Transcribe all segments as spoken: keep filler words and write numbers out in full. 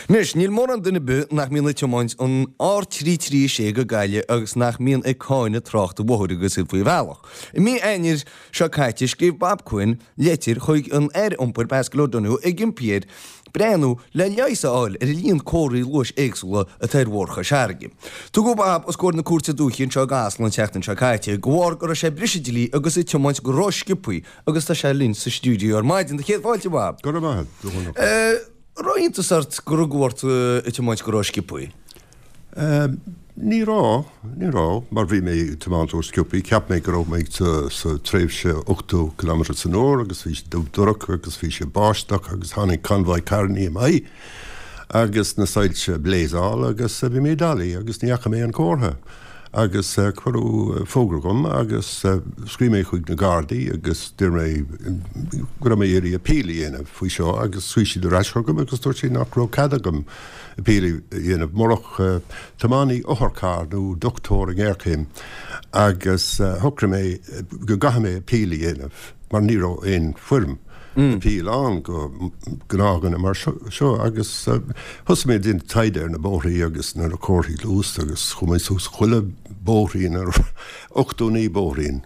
Anois, níl mórán duine ar bith nach mbíonn ag tiomáint an R trí trí sé go Gaillimh agus nach mbíonn ag cáineadh trácht an bhóthair agus iad faoi bhealach. I mí Eanáir seo caite, scríobh Bob Quinn leitir chuig an Aire Iompair Paschal Donohoe ag impí air breathnú le leigheas a fháil ar an líon comharthaí luais éagsúla atá ar Bhóthar Chois Fharraige. Tugadh Bob os comhair na Cúirte Dúiche anseo i gCasla an tseachtain seo caite de bharr go raibh sé ag briseadh dlí agus ag tiomáint go rósciobtha agus tá sé linn sa stiúideo ar maidin. Do chéad fáilte, Bob. Go raibh maith agat. Raibh iontas ort gur rugadh ort ag tiomáint go rósciobtha? Ní raibh, ní raibh, mar bhí mé ag tiomáint rósciobtha. Cheap mé go raibh mé sa, sa tréimhse ochtó kilometre san uair agus bhí sé dubh dorcha agus bhí sé báisteach agus tháinig convoy carrannaí i m'aghaidh agus na soilse ag blazeáil agus bhí mé doiligh agus ní fhaca mé an comhartha. Agus cuireadh fógra dhom agus scríobh mé chuig na Gardaí agus d'iarr mé go raibh mé ag iarraidh appeal a dhéanamh faoi seo agus scríobh siad ar ais chugam agus dúirt siad nach raibh cead agam appeal a dhéanamh murach tiománaí otharcharr nó dochtúir i ngéarchéim agus shocraigh mé go gcaithfidh mé appeal a dhéanamh mar ní raibh aon foirm appeal ann go gnáthdhuine mar seo agus thosaigh mé ag déanamh taighde ar na bóithrí agus na comharthaí luas agus chuaigh mé suas chuile bóithrín ar ochtó naoi bóithrín.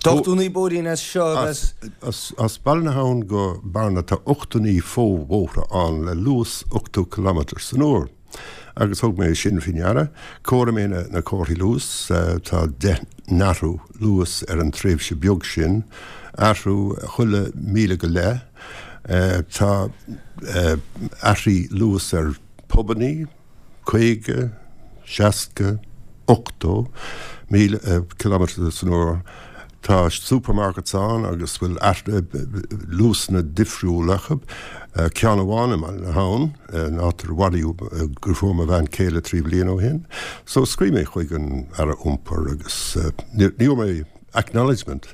Tá ochtó naoi bóithrín as seo agus. As Baile na hAbhann go Bearna tá ochtó naoi fo-bhóithre ann le luas ochtó kilometre san uair. Agus thug mé sin faoi ndeara. Chomhair mé na comharthaí luas, tá deich n-athrú luas ar an tréimhse beag sin, athrú chuile míle go leith. Tá athruithe luas ar pubannaí, caoga, seasca, ochtó míle kilometre san uair. Tá supermarkets ann agus bhfuil luasanna difriúla acu. Ceann amháin i mBaile na hAbhann, an áit ar maraíodh deirfiúr mo bhean chéile trí bliana ó shin. So scríobh mé chuig an Aire Iompair agus ní fhuair mé acknowledgement.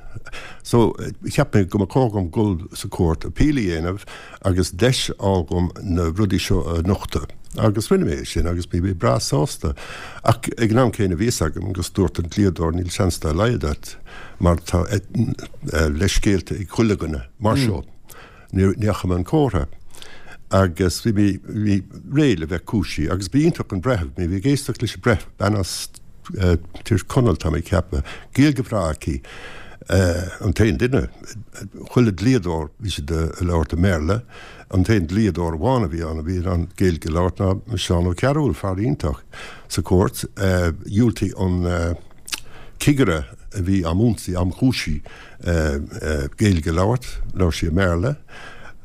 So cheap mé go mba chóir dom dul sa chúirt appeal a dhéanamh agus deis a fháil dom na rudaí seo a nochtadh. Agus rinne mé é sin agus bhí mé breá sásta. Ach ag an am céanna bhí fhios agam agus dúirt an dlíodóir níl seans dá laghad agat mar tá leithscéalta ag chuile dhuine mar seo. Ní fhaca mé an comhartha. Agus bhí mé bhí réidh le bheith cúisithe agus b'iontach an breitheamh, mé bhí ag éisteacht leis an breitheamh, bean as Tír Chonaill tá mé ag ceapadh, Gaeilge bhreá aici, an t-aon duine, chuile dlíodóir bhí siad ag labhairt i mBéarla, an t-aon dlíodóir amháin a bhí ann a bhí in ann Gaeilge a labhairt ná Seán Ó Cearúil, fear iontach sa chúirt. Dhiúltaigh an cigire a bhí am ionsaí, am chúisí Gaeilge a labhairt, labhair sí i mBéarla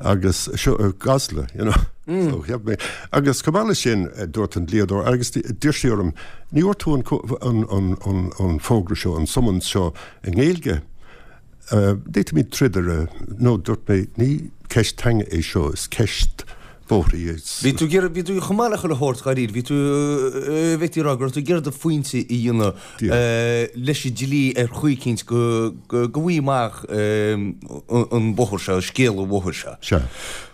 agus seo i gCasla, you know. So cheap mé. Agus chomh maith leis sin, dúirt an dlíodóir, agus d'iarr sí orm, ní bhfuair tú an an an an fógra seo, an summons seo i nGaeilge? D'fhéadfaimid troid ar a, nó dúirt mé, ní ceist teanga é seo, is ceist bóithrí é. Bhí tú ag iarraidh, bhí tú chomh maith le chuile shórt dháiríre, bhí tú, bhféadfaí a rá go raibh tú ag iarraidh do phointe a dhéanamh leis an dlí ar chaoi eicínt go, go, go bhfaighfí amach an bóthar seo, scéal an bhóthair seo. Sea.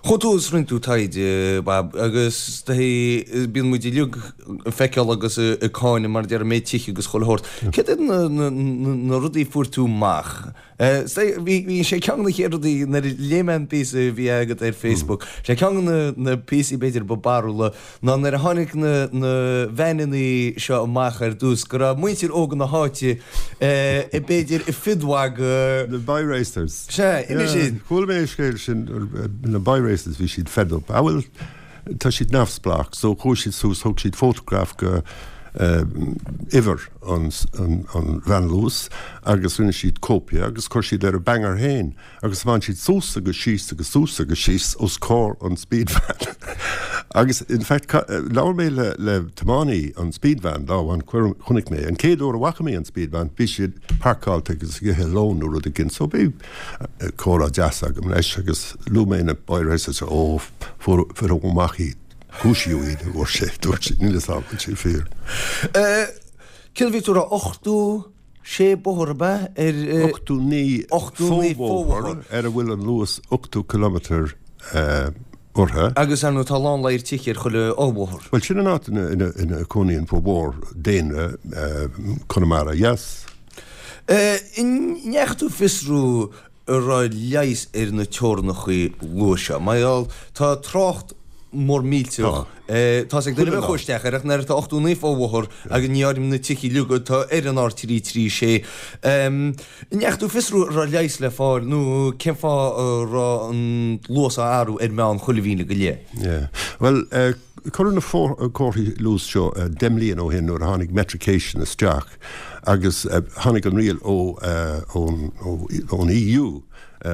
Chuaigh tú agus rinne tú taighde, Bob, agus bíonn muid uilig ag feiceáil agus ag cáineadh mar a deir mé tithe agus chuile shórt. Céard iad na, na, na rudaí a fuair tú amach? Bhí sé ceann de na chéad rudaí nuair a léigh mé an píosa a bhí agat ar Facebook, sé ceann de na píosaí b'fhéidir ba barrúla ná nuair a tháinig na na veaineanna seo amach ar dtús go raibh muintir óga na háite b'fhéidir ag fiodmhagadh. Na bi-racers. Sea, inis sin. Chuala mé an scéal sin, na bi-racers bhí siad fed up. Ah bhuel, tá siad neamhspleách so chuaigh siad suas, thug siad fótagraf go uimhir an veain luas agus rinne siad cóipia agus chuir siad ar a banger féin agus bhain siad suas agus síos agus suas agus síos os comhair an speed van. Agus in fact labhair mé le le tiománaí an speed van lá amháin chonaic mé an chéad uair a bhfaca mé an speed van bhí siad parcáilte agus ag ithe lón nó rud éigin so bhí comhrá deas agam leis agus luaigh mé na bi-racers ó fuair fuair amach iad cúisíodh iad a dúirt sé dúirt sé níl a fhios agam an bhfuil sé fíor. Céard a bhí tú a rá ochtó sé bóthar ab ea ar Ochtó naoi ochtó naoi fo-bhóthar ar a bhfuil an luas ochtó kilometre orthu. Agus ar ndóigh tá a lán ladhar tithe ar chuile fho-bhóthar. Bhuel sin an áit ina ina ina cónaíonn formhór daonra Chonamara Dheas. An ndeachaigh tú ag fiosrú an raibh leigheas ar na teorannachaí luais seo? Mar gheall tá trácht mór millteach. Tá ag duine bheith isteach ar ach nuair atá ochtó naoi fo-bhóthar agus ní áirim na tithe uilig atá ar an R trí trí sé. An ndeachaigh tú fiosrú an raibh leigheas le fáil nó cén fáth a raibh an luas á athrú ar meán chuile mhíle go leith? Yeah. Bhuel, cuireadh na comharthaí luas seo deich mbliana ó shin nuair a tháinig metrication isteach agus tháinig an riail ó ón E U,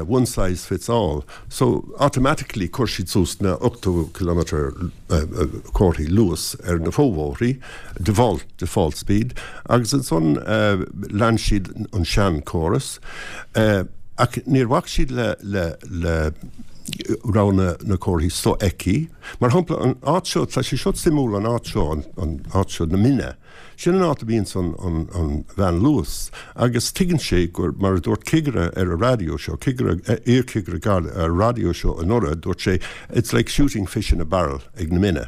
one size fits all. So automatically chuir siad suas na ochtó kilometre comharthaí luas ar na fobhóithrí, default, default speed, agus ansan lean siad an seanchóras. Ach níor bhac siad le le le raibh na na comharthaí sofheicthe. Mar shampla, an áit seo, tá sé seo suimiúil, an áit seo, an, an áit seo na Mine. Sin an áit a bhíonn an, an, an veain luas, agus tuigeann sé gur mar a dúirt cigire ar an raidió seo, cigire, iarchigire Garda ar an raidió seo anuraidh, dúirt sé, "It's like shooting fish in a barrel ag na Mine."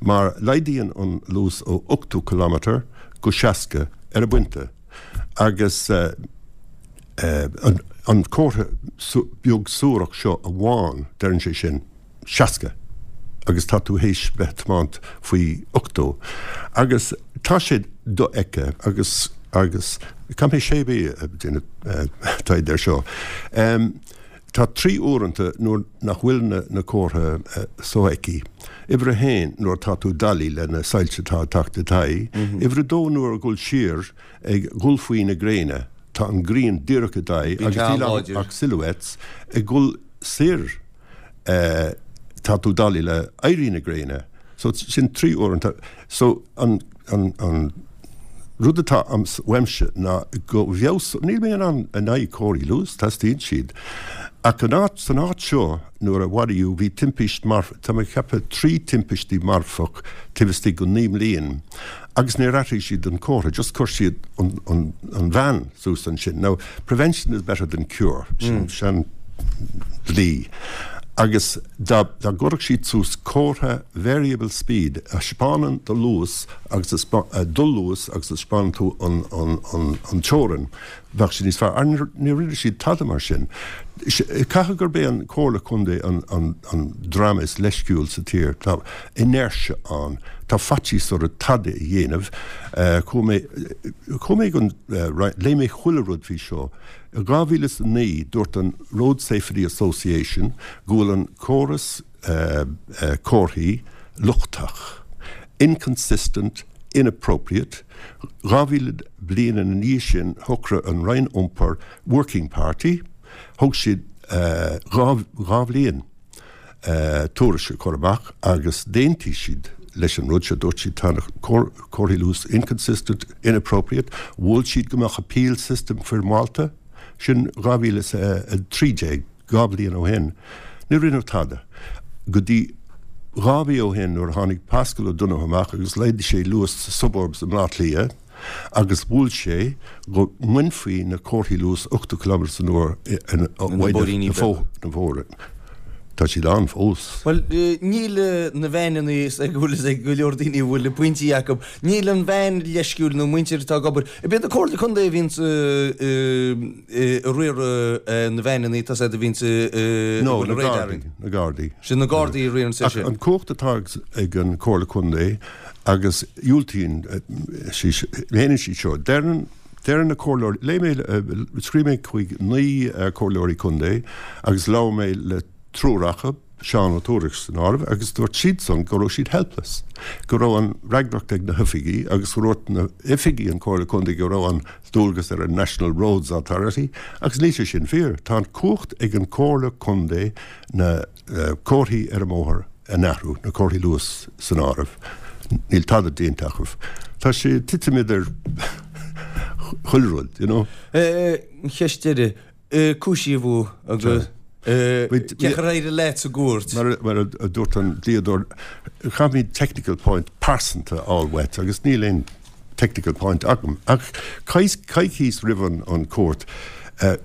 Mar laghdaíonn an luas ó ochtó kilometre go seasca ar an bpointe. Agus uh, uh, an, an comhartha beag suarach seo amháin, deireann sé sin seasca agus tá tú théis bheith tiomáint faoi ochtó. Agus tá sé dofheicthe agus agus caithfidh mé sé mhí taighde air seo. Um, tá trí uaireanta nuair nach bhfuil na, na comhartha uh, sofheicthe. Uimhir a haon, nuair tá tú doiligh le na soilse atá teacht i d'aghaidh. Mm -hmm. Uimhir a dó, nuair a dhul siar ag dhul faoi na gréine, tá an ghrian díreach i d'aghaidh agus níl ach silhouettes ag dhul siar, uh, tá tú doiligh le éirí na gréine. So sin trí uaireanta. So an, an, an rud atá uaimse ná go bhfeabhas, níl mé an in aghaidh comharthaí luas, teastaíonn siad. Ach an áit san áit seo nuair a maraíodh, bhí timpist mar tá mé ceapadh trí timpistí marfach taobh istigh go naoi mbliain. Agus níor athraigh siad an comhartha, just chuir siad an, an, an veain suas ansin. Now, prevention is better than cure, sin mm. sin dlí. Agus dá dá gcuirfeadh siad suas comhartha variable speed a thaispeánann do luas agus do luas agus a thaispeánann tú an, an, an, an teorainn, bheadh sé níos fearr. Ní rinne siad tada mar sin. Caithfidh gurb é an Comhairle Contae an, an, an dream is leisciúil sa tír. Tá inertia ann, tá faitíos orthu tada a dhéanamh. Chuaigh mé chuaigh mé go léigh mé chuile rud faoi seo. I dhá mhíle is a naoi dúirt an Road Safety Association go bhfuil an córas uh, uh, comharthaí lochtach, inconsistent, inappropriate. Dhá mhíle bliain ina dhiaidh sin shocraigh an Roinn Iompair Working Party, thug siad uh, dhá, dhá bhliain uh, tuairisc a chur amach agus d'aontaigh siad leis an rud seo. Dúirt siad tá comharthaí luas inconsistent, inappropriate, mhol siad go mbeadh appeal system foirmeálta, sin dhá mhíle a trí déag, dhá bhliain ó shin. Ní rinneadh tada. Go dtí dhá mhí ó shin nuair a tháinig Paschal Donohoe amach agus laghdaigh sé luas sa suburbs i mBaile Átha Cliath agus mhol sé go mbainfí na comharthaí luas ochtó kilometre san uair bóithríní. Na bhóithre. Tá siad ann fós. Well, níl na veaineanna ag bhfuil ag go leor daoine a bhfuil pointí acu. Níl an veain leisciúil nó muintir atá ag obair. Bíonn na Comhairle Contae a bhíonn ag riaradh na veaineanna tá a bhíonn No, na Gardaí, na Gardaí. Sin na Gardaí a riarann sé sin. An cumhacht atá ag an Comhairle Contae agus diúltaíonn héanann siad seo. Deireann Deireann na comhairleoirí, léigh mé, scríobh mé chuig naoi comhairleoirí contae agus labhair mé le triúr acu, Seán Ó Tuairisg san áireamh, agus dúirt siadsan go raibh siad helpless, go raibh an fhreagracht ag na hoifigí agus go raibh na hoifigí an Comhairle Contae go raibh an dualgas ar an National Roads Authority, agus níl sé sin fíor. Tá an cumhacht ag an Comhairle Contae na uh, comharthaí ar an mbóthar a athrú, na comharthaí luas san áireamh. Níl tada déanta acu. Tá sé titim idir chuile rud, you know. Ceist deiridh, cúisíodh agus cén chaoi ar éirigh leat sa gcúirt. Mar mar a dúirt an dlíodóir, caithfimid technical point pearsanta a fháil uait agus níl aon technical point agam. Ach coicís roimh an, an cúirt, uh,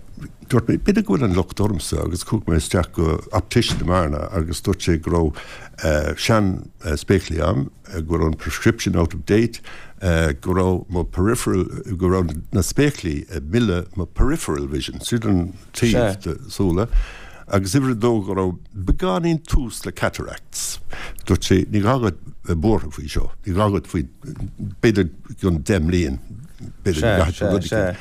dúirt mé b'fhéidir go bhfuil an locht ormsa agus chuaigh mé isteach go optician i mBearna agus dúirt sé go raibh uh, sean uh, spéaclaí agam, uh, go raibh an prescription out of date, uh, go raibh mo peripheral, go raibh na spéaclaí ag milleadh mo peripheral vision, sin an taobh de súile. Agus uimhir a dó go raibh beagáinín tús le cataracts. Dúirt sé ní gá duit buartha faoi seo, ní gá duit faoi b'fhéidir go deich mbliain b'fhéidir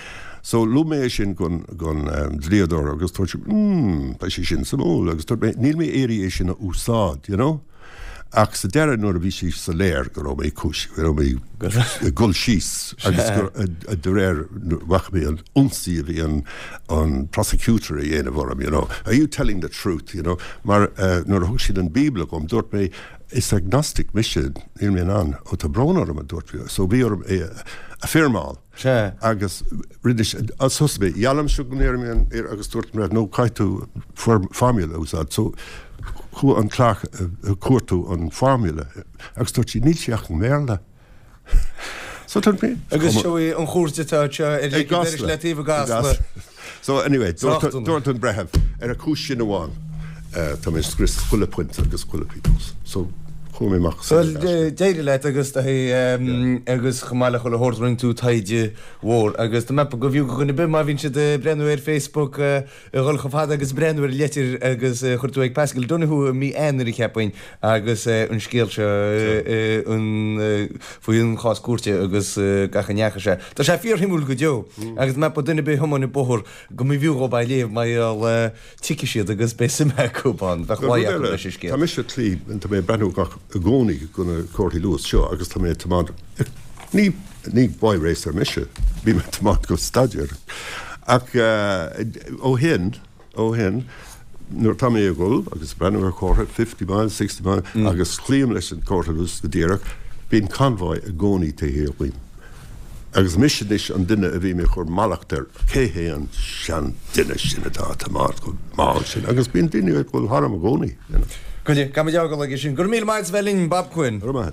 So luaigh mé sin gon gon um, dlíodóir agus dúirt sé mm, tá sé sin suimiúil agus dúirt mé níl mé ag iarraidh é sin a úsáid, you know? Ach sa deireadh nuair a bhí sé soiléir go raibh mé cúis go raibh mé ag dul síos agus de réir bhach mé an ionsaí a bhí an an prosecutor a dhéanamh orm, you know. Are you telling the truth, you know? Mar uh, nuair a thug siad an Bíobla dhom dúirt mé is agnostic mise níl mé an ó tá brón orm a dúirt so bhí orm é a firmáil. Sé. Agus rinne sos mé geallaim go ndéarfainn agus dúirt mé nó caithfidh tú formula a úsáid so chuaigh an clerk cuartú an formula agus dúirt sí níl sé ach i mBéarla. So dúirt mé Agus seo í an chúirt atá seo ar i gCasla. le taobh i gCasla. So anyway, dúirt dúirt an breitheamh ar a chúis sin amháin tá mé scrios chuile phointe agus chuile pionós. So chuaigh mé amach Well d'éirigh leat agus agus chomh maith le chuile shórt rinne tú taighde mhór agus tá mé go bhfiú go dhuine bith má bhíonn siad ag breathnú ar Facebook a dhul chomh fada agus breathnú ar leitir agus chuir tú ag Pascal Donoghue mí Eanáir cheapfainn agus an scéal seo an faoi an chás cúirte agus gach a ndeachaigh sé. Tá sé fíorshuimiúil go deo agus mé duine bith thiomáin an bóthar go mb'fhiú dhóibh é a léamh mar tuigfidh siad agus beidh suim acu ann bheadh mhaith acu leis an scéal. Tá mise tlí tá mé breathnú gach i gcónaí go na comharthaí luas seo agus tá mé tiomáint ní ní boy racer mise bhí mé tiomáint go staidéar ach ó shin ó shin nuair tá mé ag dul agus breathnú ar chomhartha fifty miles sixty miles agus cloím leis an comhartha luas go díreach bíonn convoy i gcónaí taobh thiar díom. Agus mise anois an duine a bhí mé chur mallacht ar cé hé an sean duine sin atá tiomáint go mall sin agus bíonn daoine ag dul tharam i gcónaí. Go dtí, gan muid fhágáil aige sin. Go raibh míle maith bheith linn Bob Quinn. Go raibh maith.